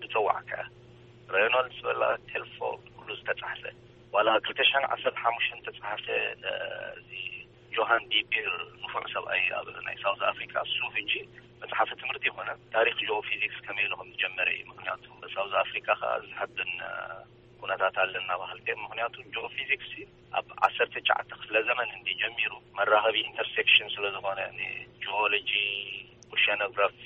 ዝጸዋዕካ ሬኖልድስ በላ ቴልፎርድ ኩሉ ዝተጻሕፈ፣ ዋላ ክልተ ሽሕን ዓሰርተ ሓሙሽተን ተጻሕፈ፣ እዚ ጆሃን ዲ ቢር ንፉዕ ሰብኣይ ኣብ ናይ ሳውዝ ኣፍሪካ፣ እሱ ሕጂ መጽሓፈ ትምህርቲ ይኮነ ታሪክ ጂኦፊዚክስ ከመይ ኢሉ ከም ዝጀመረ እዩ። ምክንያቱ ሳውዝ ኣፍሪካ ከዓ ዝሕብን ኩነታት ኣለና ባህልቲ እዮም። ምክንያቱ ጂኦፊዚክስ ኣብ ዓሰርተ ትሽዓተ ክፍለ ዘመን እንዲ ጀሚሩ መራኸቢ ኢንተርሴክሽን ስለ ዝኾነ ንጂኦሎጂ፣ ኦሸኖግራፊ፣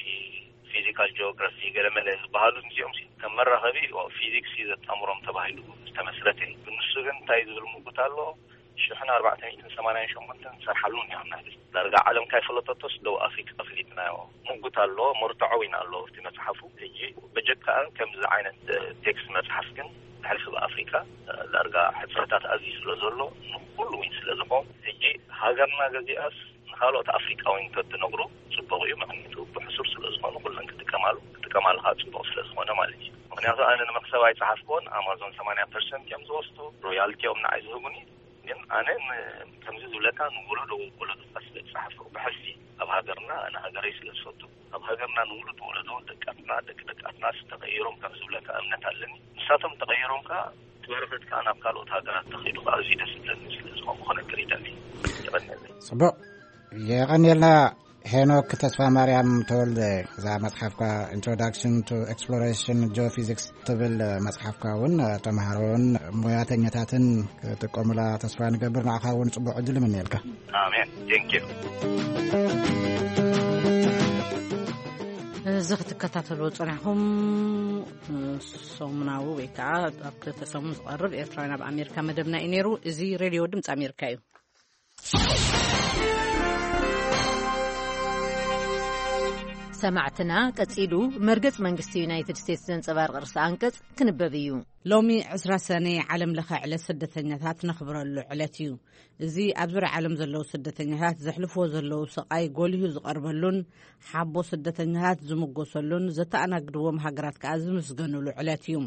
ፊዚካል ጂኦግራፊ ገለመለ ዝበሃሉ እዚኦም ሲ ከም መራኸቢ ፊዚክስ እዩ ዘጣምሮም ተባሂሉ ዝተመስረተ እዩ። ንሱ ግን እንታይ ዝብል ምጉት ኣሎ? ሽሕን ኣርባዕተ ሚእትን ሰማንያን ሸሞንተን ሰርሓሉ እኒኦ ናይ ዳርጋ ዓለም ካይፈለጠቶስ ደቡብ ኣፍሪካ ፈሊጥናዮ ምጉት ኣሎ። መርትዖ እውን ኣሎ ኣብቲ መፅሓፉ። ሕጂ በጀካኣን ከምዚ ዓይነት ቴክስት መፅሓፍ ግን ብሕልፊ ብኣፍሪካ ዳርጋ ሕፅረታት ኣዝዩ ስለ ዘሎ ንኩሉ እውን ስለ ዝኾን ሕጂ ሃገርና ገዚኣስ ንካልኦት ኣፍሪቃውያን ተትነግሩ ጽቡቕ እዩ። ምክንያቱ ብሕሱር ስለ ዝኾኑ ኩለን ክጥቀማሉ ክጥቀማሉ ከዓ ጽቡቕ ስለ ዝኾነ ማለት እዩ። ምክንያቱ ኣነ ንመክሰብ ኣይጸሓፍኩዎን፣ ኣማዞን ሰማንያ ፐርሰንት እዮም ዝወስዱ፣ ሮያልቲ እዮም ንዓይ ዝህቡኒ። ግን ኣነ ን- ከምዚ ዝብለካ ንወለዶ ወለዶ ስለ ዝጸሓፍኩ ብሕልፊ ኣብ ሃገርና ኣነ ሃገረይ ስለ ዝፈቱ ኣብ ሃገርና ንውሉድ ወለዶ ደቃትና ደቂ ደቃትና ተቐይሮም ከም ዝብለካ እምነት ኣለኒ። ንሳቶም ተቐይሮም ከዓ እቲ በረኸት ከዓ ናብ ካልኦት ሃገራት ተኸይዱ ከዓ ኣዝዩ ደስ ዝብለኒ ስለ ዝኾንኩ ክነግር ይደሊ። ይቐንየለይ። ጽቡቕ። የቐንየልና ሄኖክ ተስፋ ማርያም ተወልደ። እዛ መጽሓፍካ Introduction to Exploration Geophysics ትብል መጽሓፍካ እውን ተምሃሮን ሞያተኛታትን ክጥቀሙላ ተስፋ ንገብር። ንዓኻ እውን ጽቡቕ ዕድል እምነየልካ። ኣሜን። Thank you። እዚ ክትከታተልዎ ጸኒሕኩም ሰሙናዊ ወይ ከዓ ኣብ ክልተ ሰሙን ዝቐርብ ኤርትራውያን ኣብ ኣሜሪካ መደብና እዩ ነይሩ። እዚ ሬድዮ ድምፂ ኣሜሪካ እዩ። ሰማዕትና፣ ቀጺሉ መርገጽ መንግስቲ ዩናይትድ ስቴትስ ዘንጸባርቕ ርእሰ ኣንቀጽ ክንበብ እዩ። ሎሚ ዕስራ ሰነ ዓለም ለኸ ዕለት ስደተኛታት ነኽብረሉ ዕለት እዩ። እዚ ኣብ ዙርያ ዓለም ዘለዉ ስደተኛታት ዘሕልፍዎ ዘለዉ ስቓይ ጎሊሁ ዝቐርበሉን ሓቦ ስደተኛታት ዝምጎሰሉን ዘተኣናግድዎም ሃገራት ከኣ ዝምስገኑሉ ዕለት እዩ።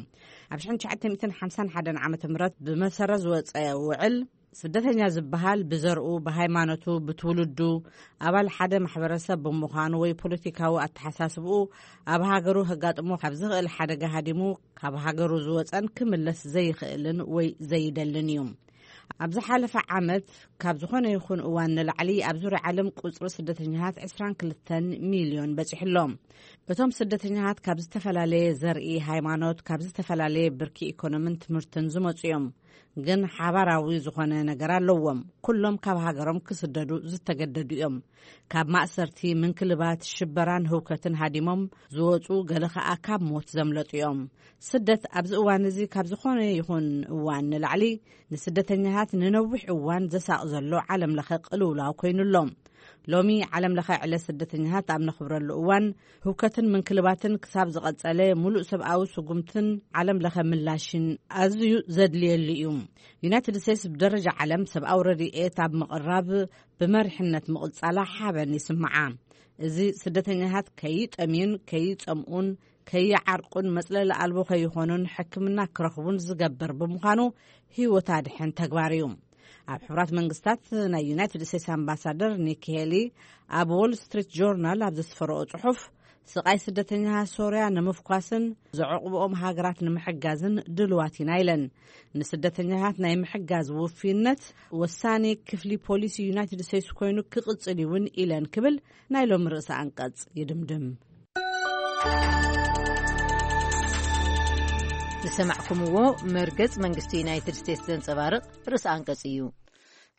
ኣብ ሽሕን ትሽዓተ ሚእትን ሓምሳን ሓደን ዓመተ ምህረት ብመሰረት ዝወጸ ውዕል ስደተኛ ዝበሃል ብዘርኡ፣ ብሃይማኖቱ፣ ብትውልዱ፣ ኣባል ሓደ ማሕበረሰብ ብምዃኑ ወይ ፖለቲካዊ ኣተሓሳስብኡ ኣብ ሃገሩ ከጋጥሞ ካብ ዝኽእል ሓደጋ ሃዲሙ ካብ ሃገሩ ዝወፀን ክምለስ ዘይኽእልን ወይ ዘይደልን እዩ። ኣብ ዝሓለፈ ዓመት ካብ ዝኾነ ይኹን እዋን ንላዕሊ ኣብ ዙርያ ዓለም ቁፅሪ ስደተኛታት ዕስራን ክልተን ሚልዮን በፂሑ ኣሎ። እቶም ስደተኛታት ካብ ዝተፈላለየ ዘርኢ፣ ሃይማኖት፣ ካብ ዝተፈላለየ ብርኪ ኢኮኖምን ትምህርትን ዝመፁ እዮም። ግን ሓባራዊ ዝኾነ ነገር ኣለዎም። ኩሎም ካብ ሃገሮም ክስደዱ ዝተገደዱ እዮም። ካብ ማእሰርቲ፣ ምንክልባት፣ ሽበራን ህውከትን ሃዲሞም ዝወፁ፣ ገለ ኸኣ ካብ ሞት ዘምለጡ እዮም። ስደት ኣብዚ እዋን እዚ ካብ ዝኾነ ይኹን እዋን ንላዕሊ ንስደተኛታት ንነዊሕ እዋን ዘሳቕ ዘሎ ዓለም ለኸ ቅልውላው ኮይኑ ኣሎ። ሎሚ ዓለም ለኸ ዕለት ስደተኛታት ኣብ ነኽብረሉ እዋን፣ ህውከትን ምንክልባትን ክሳብ ዝቐጸለ፣ ሙሉእ ሰብኣዊ ስጉምትን ዓለም ለኸ ምላሽን ኣዝዩ ዘድልየሉ እዩ። ዩናይትድ ስቴትስ ብደረጃ ዓለም ሰብኣዊ ረድኤት ኣብ ምቕራብ ብመሪሕነት ምቕጻላ ሓበን ይስምዓ። እዚ ስደተኛታት ከይጠምዩን ከይጸምኡን ከይዓርቁን መጽለሊ ኣልቦ ከይኾኑን ሕክምና ክረኽቡን ዝገብር ብምዃኑ ህይወት ኣድሕን ተግባር እዩ። ኣብ ሕቡራት መንግስታት ናይ ዩናይትድ ስቴትስ ኣምባሳደር ኒኪ ሄሊ ኣብ ዎል ስትሪት ጆርናል ኣብ ዘስፈረኦ ጽሑፍ፣ ስቓይ ስደተኛታት ሶርያ ንምፍኳስን ዘዕቑብኦም ሃገራት ንምሕጋዝን ድልዋት ኢና ኢለን። ንስደተኛታት ናይ ምሕጋዝ ውፍይነት ወሳኒ ክፍሊ ፖሊሲ ዩናይትድ ስቴትስ ኮይኑ ክቕጽል እውን ኢለን ክብል ናይ ሎሚ ርእሰ ኣንቀጽ ይድምድም። ዝሰማዕኩምዎ መርገጽ መንግስቲ ዩናይትድ ስቴትስ ዘንጸባርቕ ርእሰ ኣንቀጽ እዩ።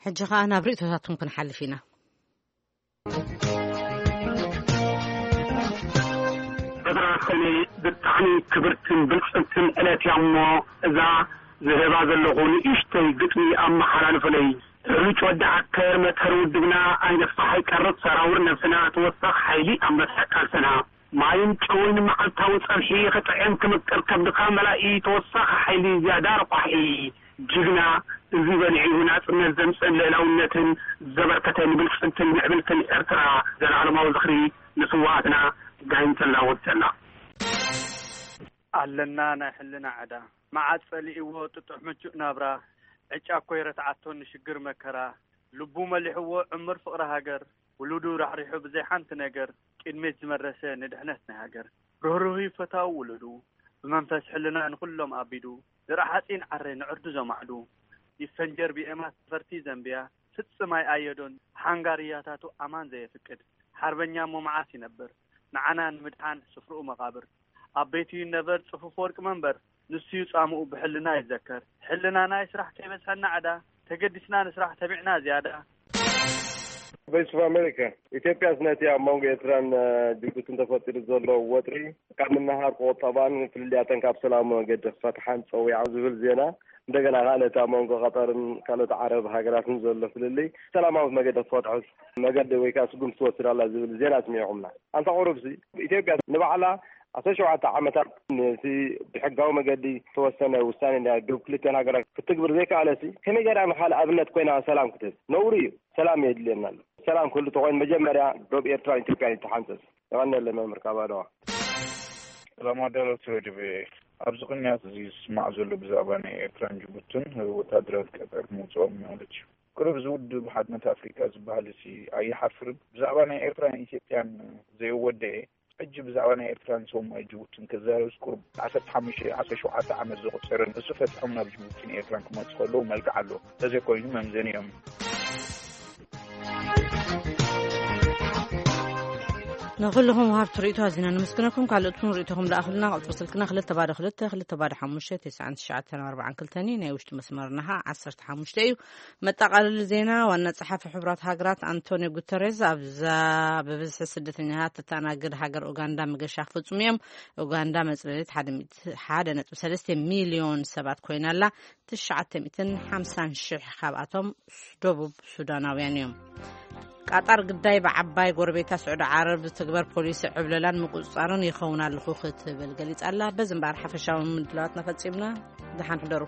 ሕጂ ኸኣ ናብ ርእይቶታትኩም ክንሓልፍ ኢና። ዕስራ ሰነ ብጣዕሚ ክብርትን ብልጽግትን ዕለት እያ እሞ፣ እዛ ዝህባ ዘለኹ ንእሽተይ ግጥሚ ኣመሓላልፉለይ። ርጭ ወዲ ዓከር መትከር ውድብና፣ ኣይነፋሕ ኣይቀርብ ሰራውር ነብስና፣ ተወሳኺ ሓይሊ ኣንበሳ ቃልስና። ማይን ጨውን መዓልታዊ ጸብሒ ክጥዕም ክምቅር ከብድኻ መላኢ፣ ተወሳኺ ሓይሊ ዝያዳ ረቋሒ። ጅግና፣ እዚ በሊዑ ናጽነት ዘምጽእን ልእላውነትን ዘበርከተ ንብልጽግትን ምዕብልትን ኤርትራ ዘላለማዊ ዝኽሪ ንስውኣትና። ጋይንተላ ወድሰላ። ኣለና ናይ ሕልና ዕዳ፣ መዓት ጸሊእዎ ጥጡሕ ምቹእ ናብራ፣ ዕጫ እኮ ይረትዓቶ ንሽግር መከራ፣ ልቡ መሊሕዎ ዕምር ፍቕሪ ሃገር፣ ውሉዱ ራሕሪሑ ብዘይ ሓንቲ ነገር፣ ቅድሜት ዝመረሰ ንድሕነት ናይ ሃገር። ርህሩህ እዩ ፈታዊ ውሉዱ፣ ብመንፈስ ሕልና ንኹሎም ኣቢዱ፣ ዝራ ሓጺን ዓረ ንዕርዱ ዘማዕዱ፣ ይፈንጀር ብኤማት ፈርቲ ዘንብያ፣ ፍጽም ኣይኣየዶን ሓንጋርያታቱ ኣማን ዘየፍቅድ፣ ሓርበኛ እሞ መዓስ ይነብር፣ ንዓና ንምድሓን ስፍርኡ መቓብር። ኣብ ቤቱ ይነበድ ጽፉፍ ወርቂ መንበር፣ ንሱ እዩ ጻምኡ ብሕልና ይዘከር። ሕልናና ይስራሕ ከይበዝሐና ዕዳ፣ ተገዲስና ንስራሕ ተቢዕና ዝያዳ። ቮይስ ኦፍ ኣሜሪካ። ኢትዮጵያስ ነቲ ኣብ መንጎ ኤርትራን፣ እ፣ ጅቡትን ተፈጢሩ ዘሎ ወጥሪ ካብ ምንሃር ክቑጠባን ፍልልያተን ካብ ሰላማዊ መገዲ ክፈትሓን ጸዊዓ ዝብል ዜና፣ እንደገና ከኣ ነቲ ኣብ መንጎ ቀጠርን ካልኦት ዓረብ ሃገራትን ዘሎ ፍልልይ ሰላማዊ መገዲ ክፈትሖስ መገዲ ወይ ከኣ ስጉምቲ ትወስድ ኣላ ዝብል ዜና ኣስሚዕኹምና። ኣንታ ቁሩብሲ ኢትዮጵያ ንባዕላ ዓሰርተ ሸውዓተ ዓመታት ነቲ ብሕጋዊ መገዲ ዝተወሰነ ውሳኔ ናይ ዶብ ክልቲኣን ሃገራት ክትግብር ዘይከኣለሲ፣ ከመይ ገይራ ንኻልእ ኣብነት ኮይና ሰላም ክትህብ? ነውሪ እዩ። ሰላም የድልየና ኣሎ። ሰላም ክህሉ ተኾይኑ መጀመርያ ዶብ ኤርትራን ኢትዮጵያን ይተሓንጸጽ። የቐንየለይ መምህር ካብ ኣድዋ። ሰላም ኣዳለውቲ ሬድዮ ቪኦኤ። ኣብዚ ቅንያት እዚ ዝስማዕ ዘሎ ብዛዕባ ናይ ኤርትራን ጅቡትን ወታደራት ቀጠር ምውፅኦም ማለት እዩ። ቅሩብ እዚ ውድብ ሓድነት ኣፍሪቃ ዝበሃል እዚ ኣይሓፍርን? ብዛዕባ ናይ ኤርትራን ኢትዮጵያን ዘይወደኤ፣ ሕጂ ብዛዕባ ናይ ኤርትራን ሶማይ ጅቡትን ክዛረብስ ቁሩብ ዓሰርተ ሓሙሽተ ዓሰርተ ሸውዓተ ዓመት ዘቑጸረ ንሱ ፈትሖም ናብ ጅቡትን ኤርትራን ክመጹ ከለዉ መልክዕ ኣሎ። እንተዘይኮይኑ መምዘኒ እዮም። ንኹልኹም ወሃብቲ ርእይቶ ኣዚና ንምስግነኩም። ካልኦትኩም ርእይቶኹም ለኣኹልና። ቁጽሪ ስልክና ክልተ ባዶ ክልተ ክልተ ባዶ ሓሙሽተ ተስዓን ትሽዓተን ኣርባዓን ክልተን እዩ። ናይ ውሽጢ መስመርና ኸኣ ዓሰርተ ሓሙሽተ እዩ። መጠቓለሊ ዜና። ዋና ጸሓፊ ሕቡራት ሃገራት ኣንቶኒዮ ጉተሬዝ ኣብዛ ብብዝሒ ስደተኛታት እተኣናግድ ሃገር ኡጋንዳ መገሻ ክፍጽሙ እዮም። ኡጋንዳ መጽለሊት ሓደ ሚእቲ ሓደ ነጥቢ ሰለስተ ሚልዮን ሰባት ኮይና ኣላ። ትሽዓተ ሚእትን ሓምሳን ሽሕ ካብኣቶም ደቡብ ሱዳናውያን እዮም። ቃጣር ግዳይ ብዓባይ ጎረቤታ ስዑዲ ዓረብ ዝትግበር ፖሊሲ ዕብለላን ምቁጽጻርን ይኸውን ኣለኹ ክትብል ገሊጻ ኣላ። በዚ እምበኣር ሓፈሻዊ ምድላዋትና ፈጺምና። ደሓን ሕደሩ።